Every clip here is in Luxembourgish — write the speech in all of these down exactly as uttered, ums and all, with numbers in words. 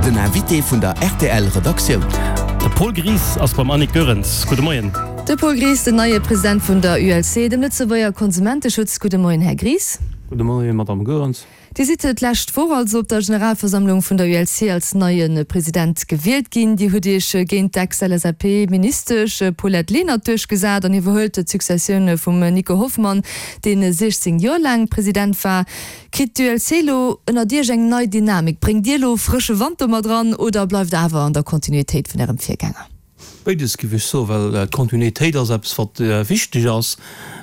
Den Invité vun der R T L Redaktioun. De Paul Gries ass beim Annick Goerens. Gudde Moien. De Paul Gries, den neie President vun der U L C, dem Lëtzebuerger Konsumenteschutz. Gudde Moien, Här Gries. Gudde Moien, Madame Goerens. Dir sidd d'lescht Woch also op der Generalversammlung vun der U L C als neie President gewielt ginn. Dir hutt Iech géint d'Ex-L S A P-Ministesch Paulette Lenert duerchgesat an iwwerhëlt d'Successioun vum Nico Hoffmann, dee siechzéng Joer laang President war. Kritt d'U L C elo ënnert Iech eng nei Dynamik? Bréngt Dir elo frësche Wand do mat dran oder bleift Der awer an der Kontinuitéit vun Ärem Virgänger? Béides, géif ech soen, well d'Kontinuitéit ass eppes, wat wichteg ass.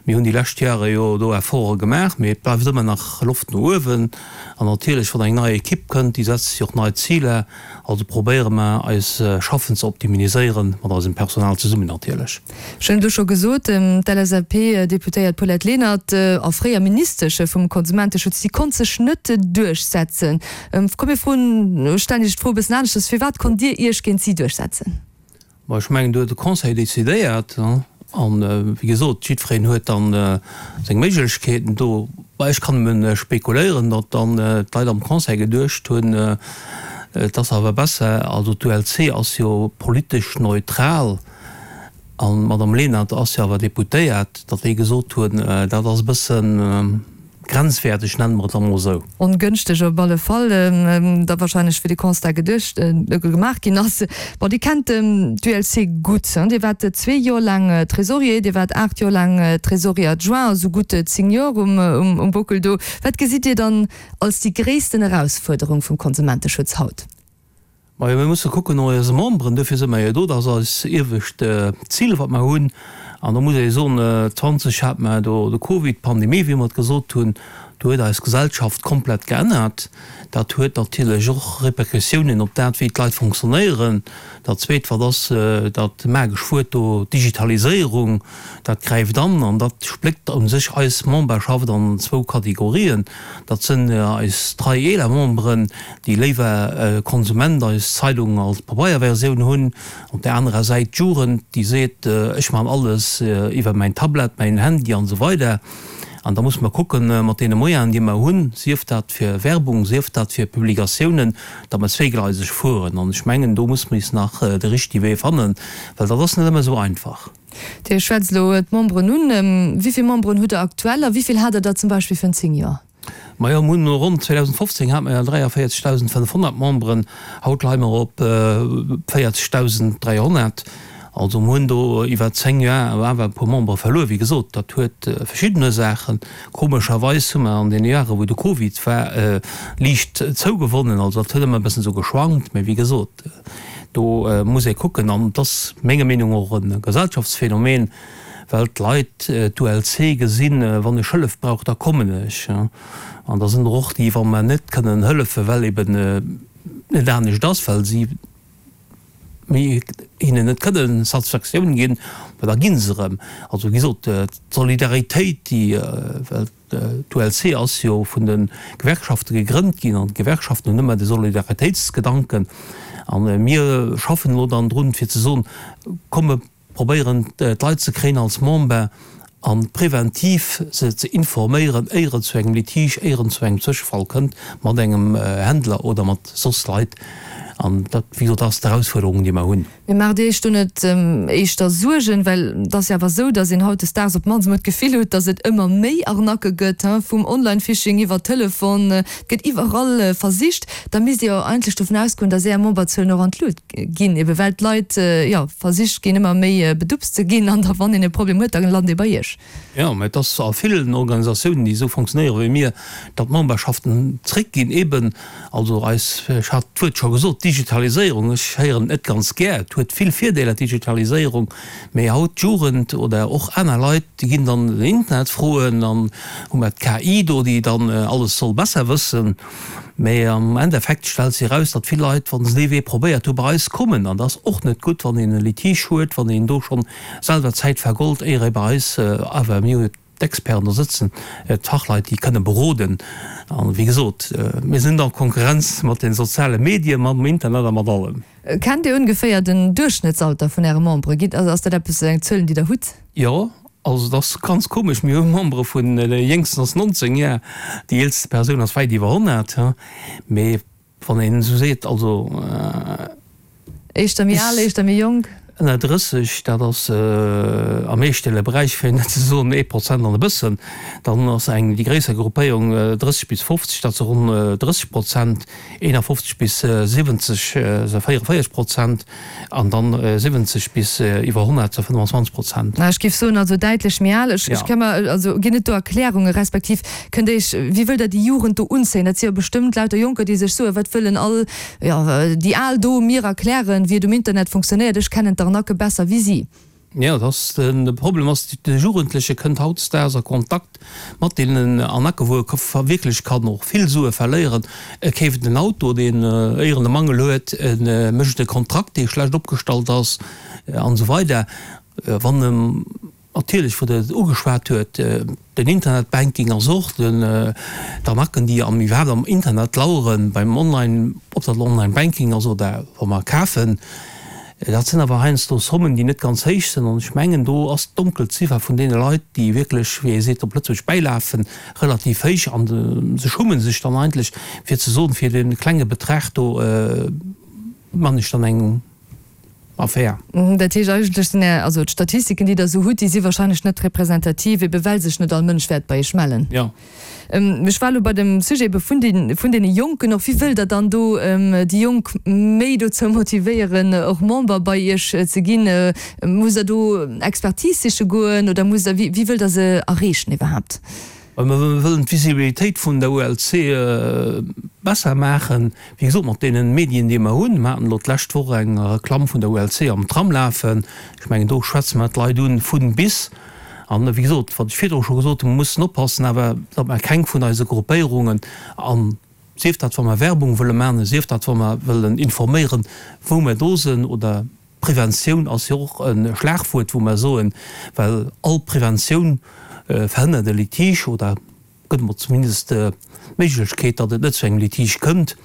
Mir hunn déi lescht Jahre jo do Efforte gemaach, mee et bleift ëmmer nach Loft no uewen. An natierlech, wann eng nei Ekipp kënnt, déi setzt sech och nei Ziler. Also probéiere mer, eist Schaffen ze optimiséieren, mat eisem Personal zesummen natierlech. Ech hunn et elo scho gesot, d'L S A P-Deputéiert Paulette Lenert a fréier Ministesch vum Konsumenteschutz, déi konnt sech net duerchsetzen. Komm mir froen, stellen Iech d'Fro e bëssen aneschters: Firwat konnt Dir Iech géint si duerchsetzen? Ma ech mengen, do huet de Conseil decidéiert an, wéi gesot, jiddwereen huet dann seng Méiglechkeeten do. Bah, ech kann nëmme spekuléieren, datt dann d'Leit am Conseil geduecht hunn, et ass awer besser, also d'U L C ass jo politesch neutral an d'Madame Lenert ass jo awer Deputéiert, datt déi gesot hunn, dat ass e bëssen grenzwäerteg, nenne mer et da mol esou. Ongënschteg op alle Fall, da wahrscheinlech wéi de Constat geduecht, gemaach ginn ass. Bon, Dir kennt d'U L C gutt, Dir waart zwee Joer laang Trésorier, Dir waart aacht Joer laang Trésorier adjoint, also gutt zéng Joer um Bockel do. Wat gesitt Dir dann als déi gréissten Erausfuerderung vum Konsumenteschutz haut? Majo, mir musse kucken no eise Memberen, dofir si mer jo do, dat ass eis iewescht Zil, wat mer hunn. An do muss ee soen, zwanzeg hat mer do de Covid, d'Pandemie, wéi mer et gesot hunn, do huet eis Gesellschaft komplett geännert. Dat huet natierlech och Repercussiounen op dat, wéi d'Leit fonctionnéieren. Dat Zweet, wat ass dat magesch Wuert do, Digitaliséierung, dat gräift an an dat spléckt u sech eis Memberschaft an zwou Kategorien. Dat sënn eis trei eeler Memberen, déi léiwer Konsument eis Zeidung als Pabeierversioun hunn. Op der anerer Säit d'Jugend, déi seet, ech man alles iwwer mäin Tablet, mäin Handy an esou weider. An da musse mer kucken, mat deene Moyenen, déi mer hunn, sief dat fir Werbung, sief dat fir Publikatiounen, datt mer zweegleiseg fueren. An ech mengen, do musse mer is nach de richtege Wee fannen, well dat ass net ëmmer esou einfach. Dir schwätzt elo d'Memberen un. Wéi vill Memberen hutt Der aktuell a wéi vill hat Der der zum Beispill virun zéng Joer? Majo, mir hunn ronn zweedausendfofzéng hate mer dräiavéierzegdausendfënnefhonnert Memberen, haut leie mer op véierzegdausend dräihonnert. Also mir hunn do iwwer zéng Joer awer e puer Membere verluer. Wéi gesot, dat huet verschidden Ursaachen. Komescherweis hu mer an deene Jahre, wou de Covid war, liicht zougewonnen. Also dat huet ëmmer e bëssen esou geschwankt. Mä wéi gesot, do muss ee kucken. An et ass menger Meenung no och e Gesellschaftsphänomen, well d'Leit d'U L C gesinn, wann ech Hëllef brauch, da kommen ech. An da sinn der och déi, wa mer net kënnen hëllefen, well eben net anescht ass, well si mir hinnen net kënnen Satisfaktioun ginn, ma da gi se erëm. Also wéi gesot, d'Solidaritéit, déi, well d'U L C ass jo vun de Gewerkschafte gegrënnt ginn an d'Gewerkschaften hunn ëmmer de Solidaritéitsgedanken. A mir schaffen elo dann drun, fir ze soen, komm mir probéieren d'Leit ze kréien als Member a preventiv se ze informéieren, éier et zu engem Litige, éier et zu engem Zwëschefall kënnt mat engem Händler oder mat soss Leit. An dat, wéi gesot, ass d'Erausfuerderung, déi mer hunn. Mee maacht Dir Iech do net éischter Suergen? Well et ass jo awer esou, datt een hautdesdaags op d'mannst emol d'Gefill huet, datt et ëmmer méi Arnaquë gëtt, vum Online-Phishing iwwer Telefon, et gëtt iwwerall versicht. Da misst Dir jo eigentlech dovun ausgoen, datt Är Memberzuelen och an d'Lut ginn, ebe well d'Leit, jo, versicht ginn, ëmmer méi bedupst ze ginn an da wann een e Problem huet, da lant ee bei Iech. Jo, mä et ass a villen Organisatiounen, déi esou fonctionnéiere wéi mir, datt d'Memberschaften zréckginn, eben, also eis, ech hat d'Wuert scho gesot, Digitaliséierung, ech héieren et net ganz gär, et huet vill Virdeeler, d'Digitaliséierung, mä haut d'Jugend oder och aner Leit, déi ginn dann den Internet froen an hu mer d'K I do, déi dann alles soll besser wëssen. Mä am Endeffekt stellt sech eraus, datt vill Leit, wa se dee Wee probéiert hu, bei eis kommen. An dat ass och net gutt, wann een e Litige huet, wann een do schonn selwer Zäit vergold, éier ee bei eis, awer mir hu jo d'Experten do sëtzen, d'Fachleit, déi kënne beroden. An, wéi gesot, mir sinn a Konkurrenz mat de soziale Medien, mam Internet a mat allem. Kennt Dir ongeféier den Duerchschnëttsalter vun Äre Membere? Gitt, also ass dat eppes, eng Zuelen, déi Der hutt? Jo, also et ass ganz komesch, mir hu Membere vun, de jéngsten ass nonzéng Jar, déi eelste Persoun ass wäit iwwer honnert, mee Wann een esou seet, also. Éischter méi al, éischter méi jonk? Ënner drësseg, dat ass am eestellege Beräich, fir net ze soen ee Prozent an e bëssen. Dann ass eng déi gréisser Gruppéierung drësseg bis fofzeg, dat si ronn drësseg Prozent, eenafofzeg bis siwwenzeg si véierevéierzeg Prozent an dann siwwenzeg bis iwwer honnert si fënnefenzwanzeg Prozent. Ech géif soen, also däitlech méi al. Ech ka mer, also ginn et do Erklärungen, respektiv kënnt Dir Iech, wéi wëllt Der déi Jugend do unzéien? Dat si jo bestëmmt lauter Jonker, déi sech soen, wat wëllen all, jo, déi Al do mir erklären, wéi et um Internet funktionéiert, ech kennen d'Arnaque besser wéi si. Jo, dat ass den, de Problem ass, de Jugendleche kënnt hautdesdaags a Kontakt mat deenen Arnaquen, wou e wierklech kann och vill Sue verléieren. E keeft en Auto, deen éieren e Mangel huet, e mécht e Kontrakt, dee schlecht opgestallt ass, an esou weider. Wann e Natierlech, wou Der et ugeschwat huet, den Internetbanking ass och den, d'Arnacken, déi am iwwerhaapt am Internet laueren, beim Online, ob dat elo Online-Banking ass oder wa mer kafen, dat sinn awer heiansdo Sommen, déi net ganz héich sinn. An ech mengen, do ass d'Donkelziffer vun deene Leit, déi wierklech, wéi ee seet op Lëtzebuergesch, bäilafen, relativ héich. A se schummen sech dann eigentlech, fir ze soen, fir dee klenge Betrag do man ech dann eng Affär. Dat heescht, eigentlech sinn Är, also d'Statistiken, déi Der esou hutt, déi si wahrscheinlech net representativ, ebe well sech net all Mënsch wäert bei Iech mellen. Jo. Ech war elo bei dem Sujet ebe vun den, vun deene Jonken och. Wéi wëllt Der dann do déi Jonk méi dozou motivéieren, och Member bei Iech ze ginn? Musst Der do Expertise siche goen oder musst Der, wéi, wéi wëllt Der se erreechen iwwerhaapt? Well mer wëllen d'Visibilitéit vun der U L C besser maachen, wéi gesot, mat deene Medien, déi mer hunn. Mer haten elo d'lescht Woch eng Reklamm vun der U L C am Tram lafen. Ech mengen, do schwätze mer d'Leit un vun bis. An, wéi gesot, wat ech virdru scho gesot hunn, mer mussen oppassen awer, datt mer keng vun eise Gruppéierungen, a sief dat, wa mer Werbung wëlle maachen, sief dat, wa mer wëllen informéieren, wou mer do sinn, oder Preventioun ass jo och e Schlagwuert, wou mer soen, well all Preventioun verhënnert e Litige oder gëtt emol zumindest d'Méiglechkeet, datt et net zu engem Litige kënnt.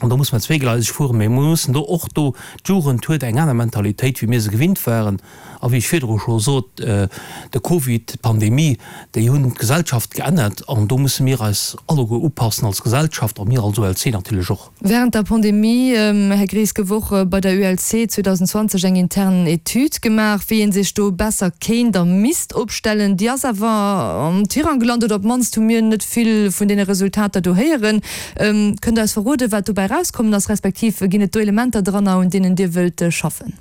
An do muss mer zweegleiseg fueren, mä mer mussen do och do, d'Jugend huet eng aner Mentalitéit, wéi mir se gewinnt waren. A wéi ech virdru scho sot, de Covid, d'Pandemie, déi hunn d'Gesellschaft geännert an do musse mir eis alleguer upassen als Gesellschaft a mir als U L C natierlech och. Während der Pandemie, Här Gries, gouf och bei der U L C zweedausendenzwanzeg eng intern Etüd gemaach, wéi ee sech do besser kéint a misst opstellen. Déi ass awer am Tirang gelant, oder op d'mannst hu mir net vill vun deene Resultater do héieren. Kënnt Der eis verroden, wat dobäi erauskommen ass, respektiv ginn et do Elementer dranner, un deenen Dir wëllt schaffen?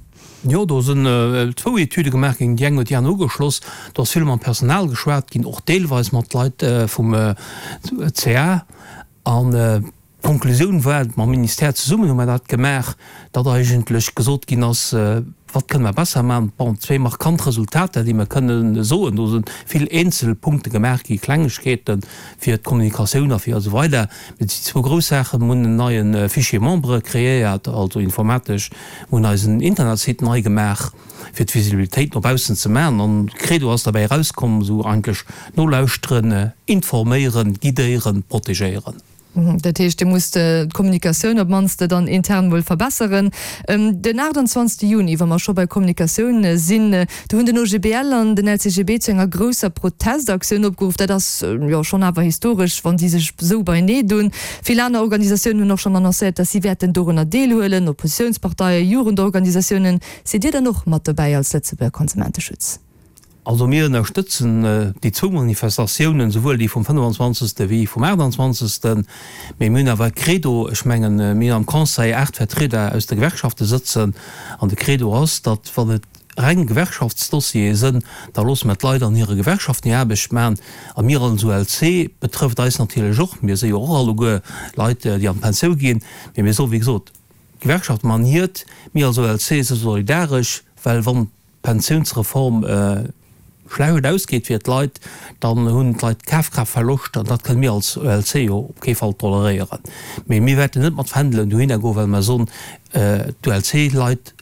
Jo, do sinn zwou Etüde gemaach ginn, déi eng huet déi aner ugeschloss. Do ass vill mam Personal geschwat ginn, och deelweis mat Leit vum C A. An d'Konklusioun war, mam Ministère zesummen hu mer dat gemaach, datt eigentlech gesot ginn ass, Wat kënne mer besser maachen? Bon, zwee markant Resultater, déi mer kënnen soen, do si vill eenzel Punkte gemaach gi, Klengegkeeten fir d'Kommunikatioun a fir esou weider, mee et si zwou grouss Saachen, Mer hunn en neie Fichier Membere kreéiert, also informatesch, mer hunn eisen Internetsite nei gemaach, fir d'Visibilitéit no baussen ze maachen. An d'Credo ass derbäi erauskomm, esou eigentlech nolauschteren, informéieren, guidéieren, protegéieren. Dat heescht, Dir musst d'Kommunikatioun op d'mannst dann intern mol verbesseren. Den aachtanzwanzegste Juni, wa mer scho bei Kommunikatioun sinn, do hunn den O G B L an den L C G B zu enger grousser Protestaktioun opgeruff. Dat ass jo schonn awer historesch, wann déi sech esou beinee dunn. Vill aner Organisatiounen hunn och schonn annoncéiert, datt si wäerten dorunner deelhuelen, Oppositiounsparteien, Jugendorganisatiounen. Sidd Dir dann och mat dobäi als Lëtzebuerger Konsumenteschutz? Also mir ënnerstëtzen déi zwou Manifestatiounen, souwuel déi vum fënnefanzwanzegste wéi vum aachtanzwanzegsten. Mee mir hunn awer e Credo, ech mengen, mir hunn am Conseil aacht Vertrieder aus de Gewerkschafte sëtzen, an de Credo ass, datt wann et reng Gewerkschaftsdossiere sënn, da loosse mer d'Leit an hire Gewerkschaften hir Aarbecht maachen. A mir als U L C betrëfft eis natierlech och, mir si jo och alleguer Leit, déi an d'Pensioun ginn, mee mir soen, wéi gesot, d'Gewerkschafte maachen hiert, mir als U L C si solidaresch, well wann d'Pensiounsreform schlecht ausgeet fir d'Leit, dann hunn d'Leit Kafkraaftverloscht an dat kënne mir als U L C jo op kee Fall toleréieren. Mee mir wäerten net mat Fändelen dohinner goen, well mer soen, d'U L C-Leit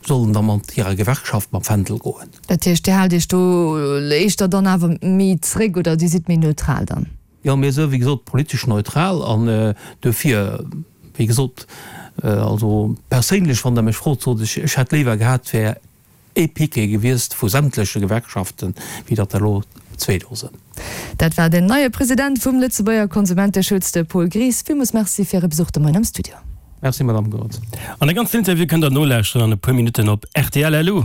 sollen da mat hirer Gewerkschaft mam Fändel goen. Dat heescht, Dir haalt Iech do éischter dann awer méi zréck oder Dir sidd méi neutral dann? Jo, mir si wéi gesot politesch neutral an duerfir, wéi gesot, also perséinlech, wann Der mech frot, sot ech, ech hätt léiwer gehat, et wär ee Piquet gewiescht vu sämtleche Gewerkschaften, wéi datt der elo zwee Dosen. Dat war den neie President vum Lëtzebuerger Konsumenteschutz, de Paul Gries. Villmools Merci fir Äre Besuch de Moien am Studio. Merci, Madamm Goerens. An de ganzen Interview kënnt der nolauschteren an e puer Minutten op rtl. Lu.